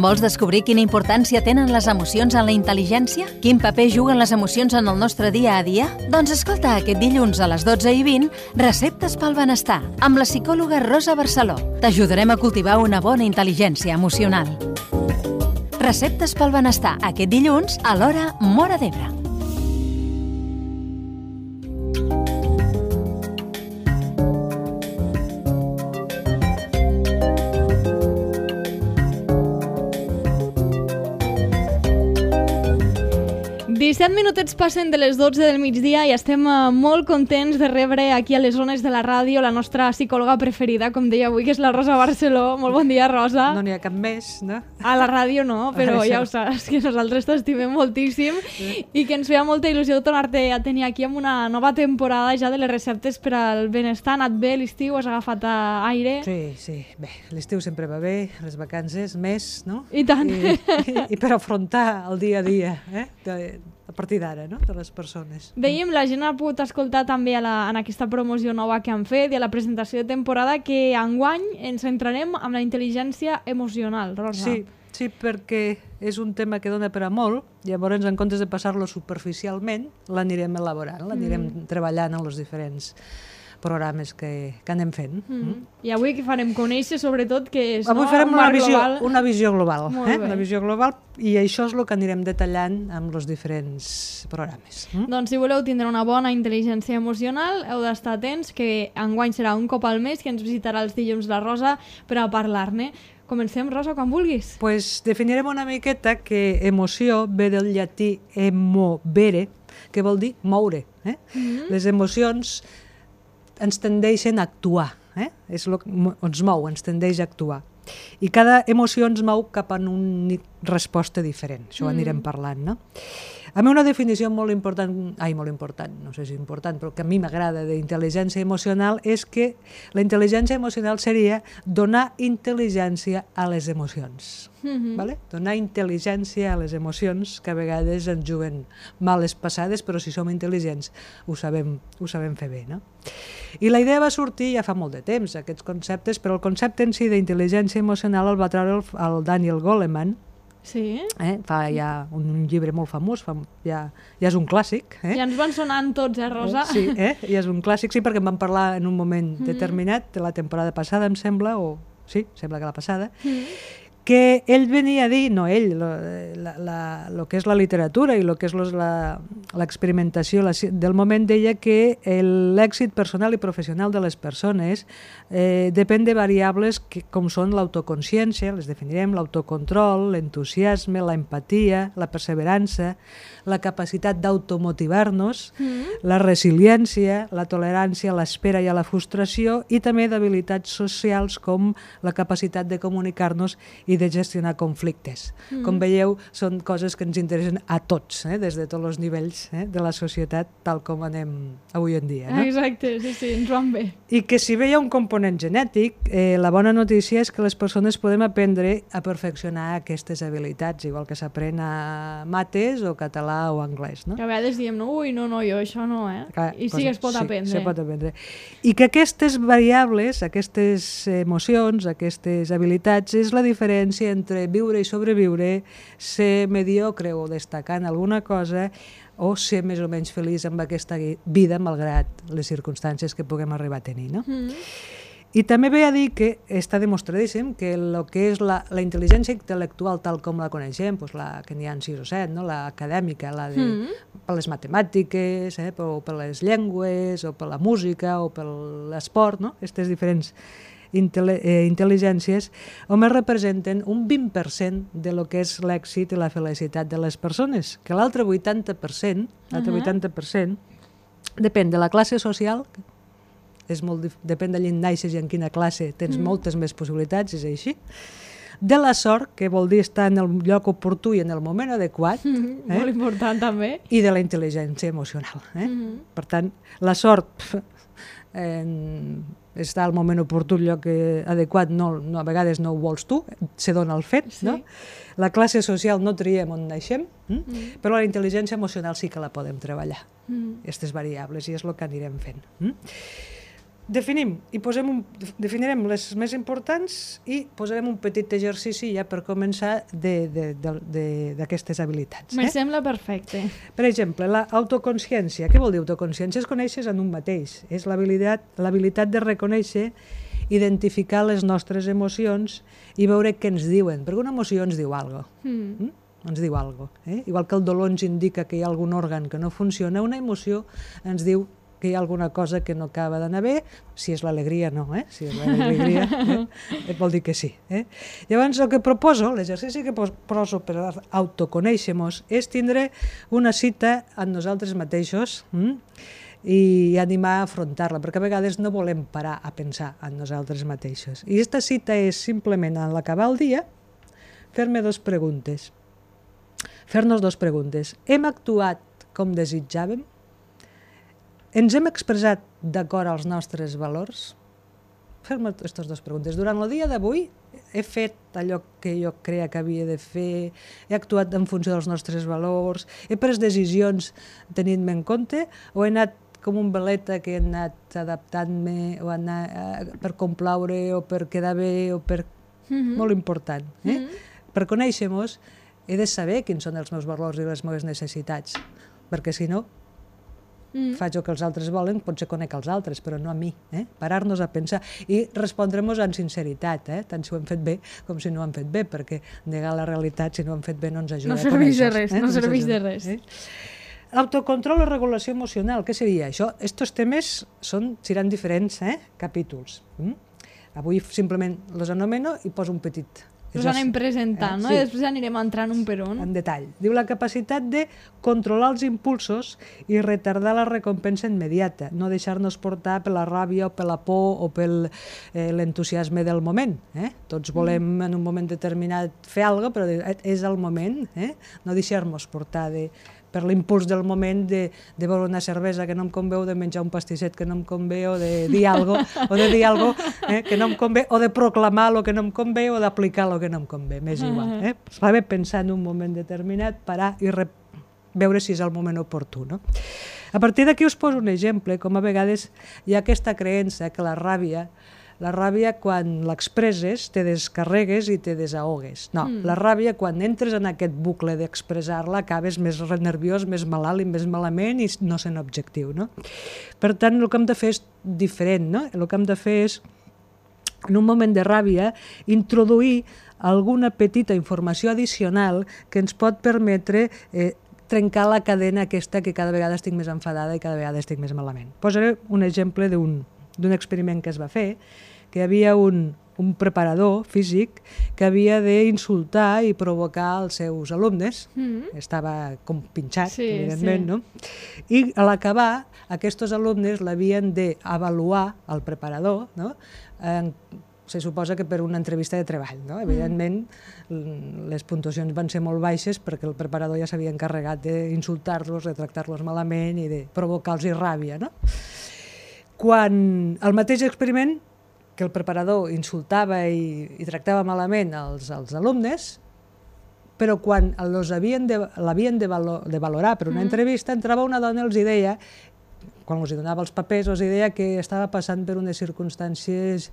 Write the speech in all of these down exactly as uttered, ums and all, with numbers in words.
Vols descobrir quina importància tenen les emocions en la intel·ligència? Quin paper juguen les emocions en el nostre dia a dia? Doncs escolta aquest dilluns a les dotze i vint Receptes pel benestar, amb la psicòloga Rosa Barceló. T'ajudarem a cultivar una bona intel·ligència emocional. Receptes pel benestar, aquest dilluns a l'hora Móra d'Ebre. disset minutets passen de les dotze del migdia i estem molt contents de rebre aquí a les zones de la ràdio la nostra psicòloga preferida, com deia avui, que és la Rosa Barceló. Molt bon dia, Rosa. No n'hi ha cap més, no? A la ràdio no, però ja ho saps, que nosaltres t'estimem moltíssim sí. I que ens feia molta il·lusió tornar-te a tenir aquí amb una nova temporada ja de les receptes per al benestar. Ha anat bé l'estiu? Has agafat aire? Sí, sí. Bé, l'estiu sempre va bé, les vacances més, no? I tant. I, i, i per afrontar el dia a dia, eh? De, a partir d'ara, no?, de les persones. Veiem, la gent ha pogut escoltar també a la, en aquesta promoció nova que han fet i a la presentació de temporada que enguany ens centrarem en la intel·ligència emocional, Rosa. Sí, sí, perquè és un tema que dona per a molt, llavors en comptes de passar-lo superficialment, l'anirem elaborant, l'anirem mm. treballant en els diferents programes que, que anem fent. Mm. Mm. I avui que farem conèixer, sobretot, que és avui no, farem un una visió, global. una visió global. Eh? Una visió global, i això és el que anirem detallant amb els diferents programes. Mm? Doncs si voleu tindre una bona intel·ligència emocional, heu d'estar atents, que enguany serà un cop al mes, que ens visitarà els dilluns la Rosa per a parlar-ne. Comencem, Rosa, quan vulguis. Pues definirem una miqueta que emoció ve del llatí emovere, que vol dir moure. Eh? Mm-hmm. Les emocions ens tendeixen a actuar, eh? És el que ens mou, ens tendeix a actuar. I cada emoció ens mou cap a una resposta diferent, això ho anirem parlant, no? A mi una definició molt important, ai, molt important, no sé si important, però que a mi m'agrada d'intel·ligència emocional és que la intel·ligència emocional seria donar intel·ligència a les emocions. Mm-hmm. Vale? Donar intel·ligència a les emocions, que a vegades ens juguen males passades, però si som intel·ligents ho sabem, ho sabem fer bé, no? I la idea va sortir ja fa molt de temps, aquests conceptes, però el concepte en si d'intel·ligència emocional el va treure el, el Daniel Goleman. Sí. Eh? Fa ja un, un llibre molt famós, fa, ja, ja és un clàssic. Eh? Ja ens van sonant tots, eh, Rosa? Eh? Sí, eh? Ja és un clàssic, sí, perquè en vam parlar en un moment mm. determinat, de la temporada passada, em sembla, o sí, sembla que la passada, mm. que ell venia a dir, no ell, lo, la, la, lo que és la literatura i lo que és l'experimentació del moment, deia que l'èxit personal i professional de les persones eh, depèn de variables que, com són l'autoconsciència, les definirem, l'autocontrol, l'entusiasme, l'empatia, la perseverança, la capacitat d'automotivar-nos, mm. la resiliència, la tolerància a l'espera i a la frustració, i també d'habilitats socials com la capacitat de comunicar-nos i de gestionar conflictes. Mm. Com veieu, són coses que ens interessen a tots, eh? Des de tots els nivells eh? de la societat, tal com anem avui en dia. No? Exacte, sí, sí, ens van bé. I que si bé hi ha un component genètic, eh, la bona notícia és que les persones podem aprendre a perfeccionar aquestes habilitats, igual que s'aprèn a mates o català o anglès. No? Que a vegades diem, no, ui, no, no, jo això no, eh? Clar, I sí que es pot sí, aprendre. Se pot aprendre. I que aquestes variables, aquestes emocions, aquestes habilitats, és la diferència entre viure i sobreviure, ser mediocre o destacar en alguna cosa, o ser més o menys feliç amb aquesta vida, malgrat les circumstàncies que puguem arribar a tenir. No? Mm. I també ve a dir que està demostradíssim que el que és la, la intel·ligència intel·lectual tal com la coneixem, doncs la que n'hi ha sis o set, no? L'acadèmica, la de, mm. per les matemàtiques, eh? o per les llengües, o per la música, o per l'esport, no? Aquestes diferents intel·ligències, només representen un vint per cent de lo que és l'èxit i la felicitat de les persones, que l'altre vuitanta per cent, l'altre uh-huh. vuitanta per cent depèn de la classe social, és molt, depèn d'allí on naixes i en quina classe tens mm. moltes més possibilitats, és així, de la sort, que vol dir estar en el lloc oportú i en el moment adequat, mm, eh? molt important també, i de la intel·ligència emocional. Eh? Mm. Per tant, la sort en, està al moment oportú, el lloc adequat, no, no, a vegades no ho vols tu, se dona el fet, sí. no? La classe social no triem on naixem, hm? mm. però la intel·ligència emocional sí que la podem treballar, aquestes mm. variables, i és el que anirem fent. Hm? definim i posem un, definirem les més importants i posarem un petit exercici ja per començar d'aquestes habilitats. Me eh? sembla perfecte. Per exemple, l'autoconsciència. Què vol dir autoconsciència? És conèixer en un mateix. És l'habilitat l'habilitat de reconèixer, identificar les nostres emocions i veure què ens diuen, perquè una emoció ens diu alguna cosa. Mm. Mm? ens diu alguna cosa. Eh? Igual que el dolor ens indica que hi ha algun òrgan que no funciona, una emoció ens diu que hi ha alguna cosa que no acaba d'anar bé, si és l'alegria no, eh? Si és l'alegria, eh? vol dir que sí. Eh? Llavors el que proposo, l'exercici que proposo per autoconèixer-nos és tindre una cita amb nosaltres mateixos hm? i animar a afrontar-la, perquè a vegades no volem parar a pensar en nosaltres mateixos. I aquesta cita és simplement a l'acabar el dia fer-me dues preguntes. Fer-nos dues preguntes. Hem actuat com desitjàvem? Ens hem expressat d'acord als nostres valors? Fer-me aquestes dues preguntes. Durant el dia d'avui he fet allò que jo creia que havia de fer, he actuat en funció dels nostres valors, he pres decisions tenint-me en compte o he anat com un veleta que he anat adaptant-me o anar, eh, per complaure o per quedar bé o per... Mm-hmm. Molt important. Eh? Mm-hmm. Per conèixer-nos he de saber quins són els meus valors i les meves necessitats, perquè si no mm. faig el que els altres volen, potser conec els altres, però no a mi. Eh? Parar-nos a pensar i respondre-nos amb sinceritat, eh? tant si ho hem fet bé com si no ho hem fet bé, perquè negar la realitat, si no ho hem fet bé, no ens ajuda no a conèixer. De res, eh? No, no serveix de res. Eh? Autocontrol o regulació emocional, què seria això? Estos temes són, seran diferents eh? capítols. Mm? Avui simplement els anomeno i poso un petit... Els anem presentant, eh? no? Sí. I després anirem entrant un per un. En detall. Diu la capacitat de controlar els impulsos i retardar la recompensa immediata, no deixar-nos portar per la ràbia o per la por o per eh, l'entusiasme del moment. Eh? Tots volem mm. en un moment determinat fer alguna cosa, però és el moment. Eh? No deixar-nos portar de... per l'impuls del moment de, de beure una cervesa que no em convé, o de menjar un pastisset que no em convé, o de dir alguna cosa, o de dir alguna cosa eh, que no em convé, o de proclamar el que no em convé, o d'aplicar el que no em convé, m'és igual. Eh? Va bé pensar en un moment determinat, parar i re... veure si és el moment oportú. No? A partir d'aquí us poso un exemple, com a vegades hi ha aquesta creença que la ràbia La ràbia, quan l'expresses, te descarregues i te desahogues. No, mm. la ràbia, quan entres en aquest bucle d'expressar-la, acabes més nerviós, més malalt i més malament i no sent objectiu. No? Per tant, el que hem de fer és diferent. No? El que hem de fer és, en un moment de ràbia, introduir alguna petita informació addicional que ens pot permetre eh, trencar la cadena aquesta que cada vegada estic més enfadada i cada vegada estic més malament. Posaré un exemple d'un d'un experiment que es va fer, que hi havia un, un preparador físic que havia d'insultar i provocar els seus alumnes. Mm-hmm. Estava com pinxat, sí, evidentment, sí. no? I a l'acabar, aquests alumnes l'havien d'avaluar, el preparador, no? En, se suposa que per una entrevista de treball. No? Evidentment, mm. les puntuacions van ser molt baixes perquè el preparador ja s'havia encarregat d'insultar-los, de tractar-los malament i de provocar-los ràbia, no? Quan el mateix experiment, que el preparador insultava i, i tractava malament els, els alumnes, però quan l'havien de, de, valo, de valorar per una mm. entrevista, entrava una dona i els deia, quan els donava els papers, els deia que estava passant per unes circumstàncies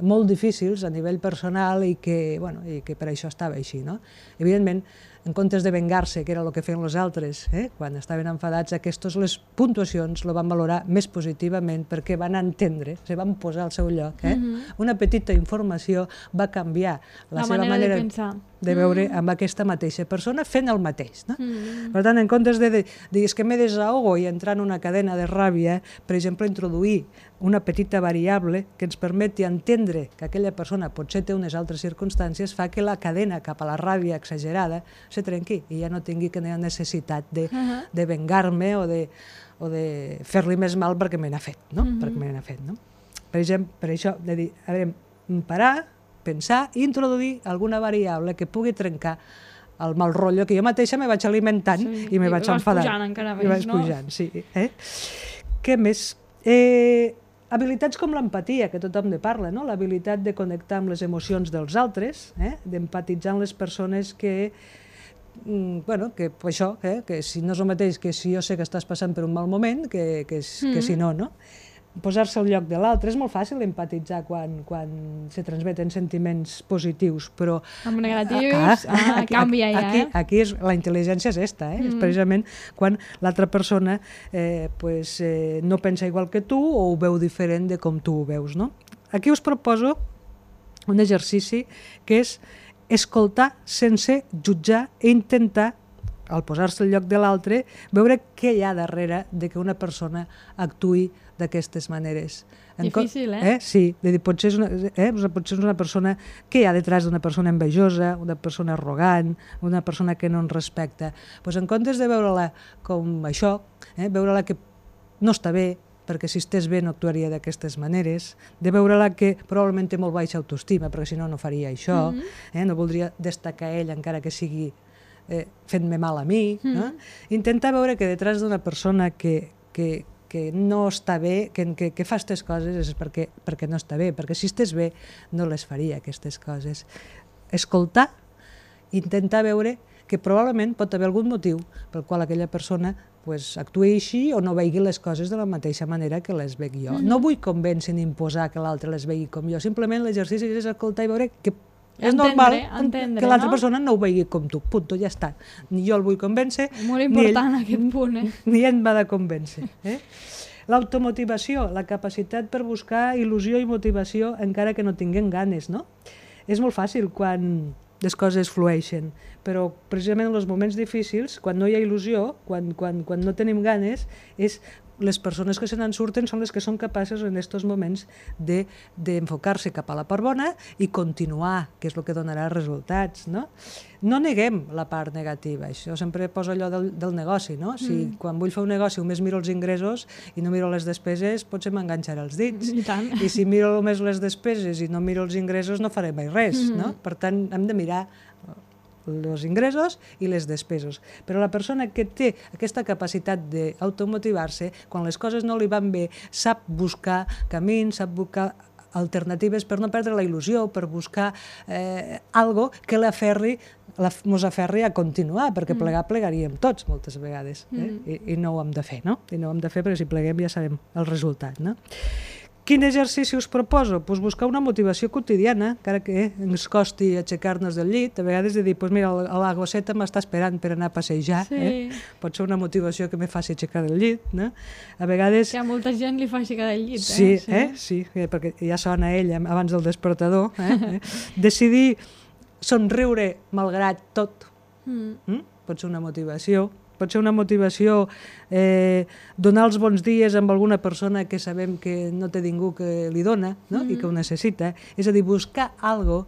molt difícils a nivell personal i que, bueno, i que per això estava així. No? Evidentment, en comptes de vengar-se, que era el que feien els altres, eh? quan estaven enfadats, aquestes les puntuacions lo van valorar més positivament perquè van entendre, se van posar al seu lloc. Eh? Mm-hmm. Una petita informació va canviar la, la seva manera, manera de, pensar. de veure mm-hmm. amb aquesta mateixa persona fent el mateix. No? Mm-hmm. Per tant, en comptes de dir que me desahogo i entrar en una cadena de ràbia, per exemple, introduir una petita variable que ens permeti entendre que aquella persona potser té unes altres circumstàncies, fa que la cadena cap a la ràbia exagerada se trenqui i ja no tingui que tenir necessitat de, uh-huh. de vengar-me o de, o de fer-li més mal perquè me n'ha fet, no? Uh-huh. perquè me n'ha fet, no? Per exemple, per això, de dir, a veure, parar, pensar i introduir alguna variable que pugui trencar el mal rotllo que jo mateixa me vaig alimentant sí, i me vaig enfadant. I vas pujant encara més, I vaig no? pujant, sí. Eh? Què més? Eh, habilitats com l'empatia, que tothom ne parla, no? L'habilitat de connectar amb les emocions dels altres, eh? d'empatitzar amb les persones que, mm, bueno, que això, eh? que si no és el mateix que si jo sé que estàs passant per un mal moment, que, que, mm. que si no, no? posar-se al lloc de l'altre. És molt fàcil empatitzar quan, quan se transmeten sentiments positius, però... Amb negatius, ah, ah, aquí, canvia ja, aquí, eh? Aquí és, la intel·ligència és esta, eh? Mm. És precisament quan l'altra persona eh, pues, eh, no pensa igual que tu o ho veu diferent de com tu ho veus, no? Aquí us proposo un exercici que és escoltar sense jutjar i intentar, al posar-se al lloc de l'altre, veure què hi ha darrere de que una persona actuï d'aquestes maneres. Difícil, eh? eh? Sí, de dir, potser, és una, eh? potser és una persona... Què hi ha detrás d'una persona envejosa, una persona arrogant, una persona que no ens respecta? Pues en comptes de veure-la com això, eh? veure-la que no està bé, perquè si estés bé no actuaria d'aquestes maneres, de veure-la que probablement té molt baixa autoestima, perquè si no no faria això, mm-hmm. eh? no voldria destacar ell encara que sigui eh, fent-me mal a mi. Mm-hmm. no? Intentar veure que detrás d'una persona que, que, que no està bé, que, que, que fa aquestes coses és perquè, perquè no està bé, perquè si estés bé no les faria aquestes coses. Escoltar, intentar veure que probablement pot haver algun motiu pel qual aquella persona pues, actuï així o no vegi les coses de la mateixa manera que les veig jo. Mm-hmm. No vull convèncer ni imposar que l'altre les vegi com jo, simplement l'exercici és escoltar i veure que és entendre, normal entendre, que l'altra no? persona no ho vegi com tu, punto, ja està. Ni jo el vull convèncer, Molt important ni ell, aquest punt, eh? ni ell m'ha de convèncer. Eh? L'automotivació, la capacitat per buscar il·lusió i motivació encara que no tinguem ganes, no? És molt fàcil quan les coses flueixen, però precisament en els moments difícils, quan no hi ha il·lusió, quan, quan, quan no tenim ganes, és les persones que se n'en surten són les que són capaces en aquests moments d'enfocar-se cap a la part bona i continuar, que és el que donarà resultats. No, no neguem la part negativa, això sempre poso allò del, del negoci, no? Si mm. quan vull fer un negoci només miro els ingressos i no miro les despeses, potser m'enganxaré els dits. I tant. I si miro només les despeses i no miro els ingressos, no faré mai res. Mm. No? Per tant, hem de mirar els ingressos i les despeses. Però la persona que té aquesta capacitat d'automotivar-se, quan les coses no li van bé, sap buscar camins, sap buscar alternatives per no perdre la il·lusió, per buscar eh, algo que l'aferri, la, mos aferri a continuar, perquè plegar plegaríem tots moltes vegades, eh? mm. I, i no ho hem de fer, no? I no ho hem de fer perquè si pleguem ja sabem el resultat, no? Quin exercici us proposo? Pues buscar una motivació quotidiana, encara que ens costi aixecar-nos del llit, a vegades de dir, pues mira, la gosseta m'està esperant per anar a passejar, sí. eh? Pot ser una motivació que me faci aixecar del llit, no? A vegades... Que a molta gent li fa aixecar del llit, sí, eh? Sí, eh? sí, perquè ja sona ell abans del despertador. Eh? Decidir somriure malgrat tot, mm. Mm? Pot ser una motivació. Pot ser una motivació eh, donar els bons dies amb alguna persona que sabem que no té ningú que li dona, no? Mm-hmm. I que ho necessita. És a dir, buscar algo,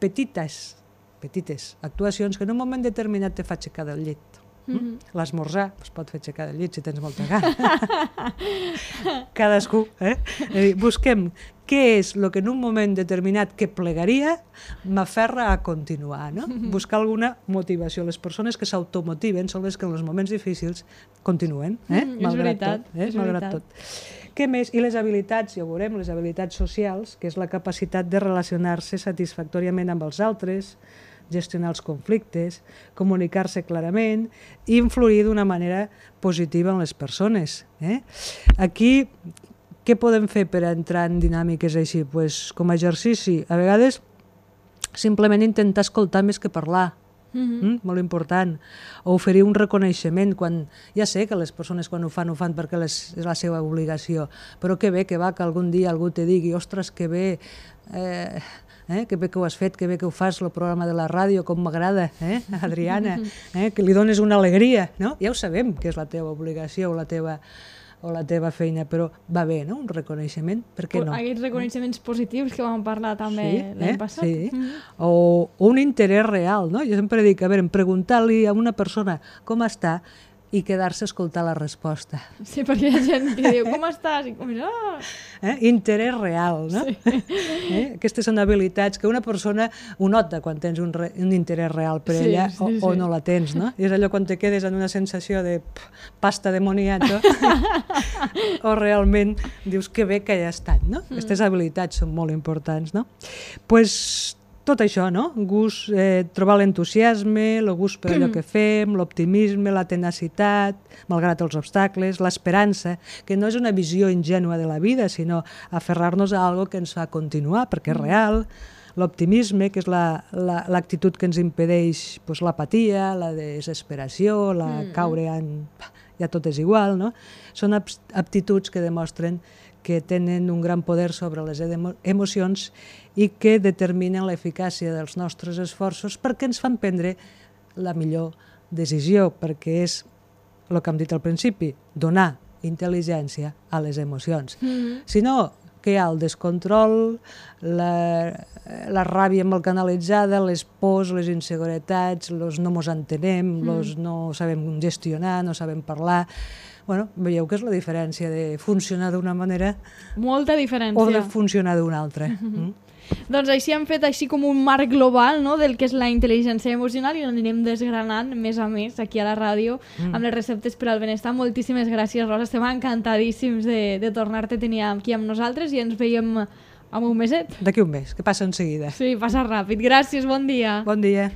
petites, petites actuacions que en un moment determinat te fa aixecar del llit. Mm-hmm. L'esmorzar es pot fer aixecar del llit si tens molta gana. Cadascú. Eh? És a dir, busquem què és el que en un moment determinat que plegaria m'aferra a continuar, no? Mm-hmm. Buscar alguna motivació. Les persones que s'automotiven són les que en els moments difícils continuen, eh? Mm, malgrat és veritat, tot. Eh? és malgrat veritat. tot. Què més? I les habilitats, ja ho veurem, les habilitats socials, que és la capacitat de relacionar-se satisfactòriament amb els altres, gestionar els conflictes, comunicar-se clarament i influir d'una manera positiva en les persones. Eh? Aquí, què podem fer per entrar en dinàmiques així? Pues, com a exercici, a vegades simplement intentar escoltar més que parlar. Mm-hmm. Mm? Molt important. O oferir un reconeixement quan... Ja sé que les persones quan ho fan, ho fan perquè les, és la seva obligació, però que bé que va que algun dia algú te digui ostres, que bé... Eh, Eh, que bé que ho has fet, que bé que ho fas, el programa de la ràdio, com m'agrada, eh, Adriana, eh, que li dones una alegria, no? Ja ho sabem que és la teva obligació o la teva, o la teva feina, però va bé, no? Un reconeixement, per què no? Aquests reconeixements positius que vam parlar també sí, l'any eh? passat. Sí. Mm-hmm. O, o un interès real, no? Jo sempre dic, a veure, preguntar-li a una persona com està i quedar-se a escoltar la resposta. Sí, perquè hi ha gent que diu, com estàs? I com, oh! eh? Interès real, no? Sí. Eh? Aquestes són habilitats que una persona ho nota quan tens un, re, un interès real per sí, ella sí, o, sí. o no la tens, no? I és allò quan te quedes en una sensació de pff, pasta de moniato o realment dius que bé que hi ha estat, no? Mm. Aquestes habilitats són molt importants, no? Pues tot això, no? Gust, eh, trobar l'entusiasme, el gust per allò que fem, l'optimisme, la tenacitat, malgrat els obstacles, l'esperança, que no és una visió ingènua de la vida, sinó aferrar-nos a algo que ens fa continuar, perquè és real, l'optimisme, que és l'actitud la, la, que ens impedeix pues, l'apatia, la desesperació, la mm. caure en... ja tot és igual, no? Són aptituds que demostren que tenen un gran poder sobre les emocions i que determinen l'eficàcia dels nostres esforços perquè ens fan prendre la millor decisió, perquè és el que hem dit al principi, donar intel·ligència a les emocions. Mm-hmm. Si no, que hi ha el descontrol, la, la ràbia mal canalitzada, les pors, les inseguretats, los no mos entenem, mm. los no sabem gestionar, no sabem parlar. Bueno, veieu que és la diferència de funcionar d'una manera molta diferència o de funcionar d'una altra. Mm-hmm. mm? Doncs així hem fet així com un marc global, no?, del que és la intel·ligència emocional i l'anirem desgranant més a més aquí a la ràdio mm. amb les receptes per al benestar. Moltíssimes gràcies, Rosa. Estem encantadíssims de, de tornar-te a tenir aquí amb nosaltres i ens veiem amb un meset. D'aquí un mes, que passa en seguida. Sí, passa ràpid. Gràcies, bon dia. Bon dia.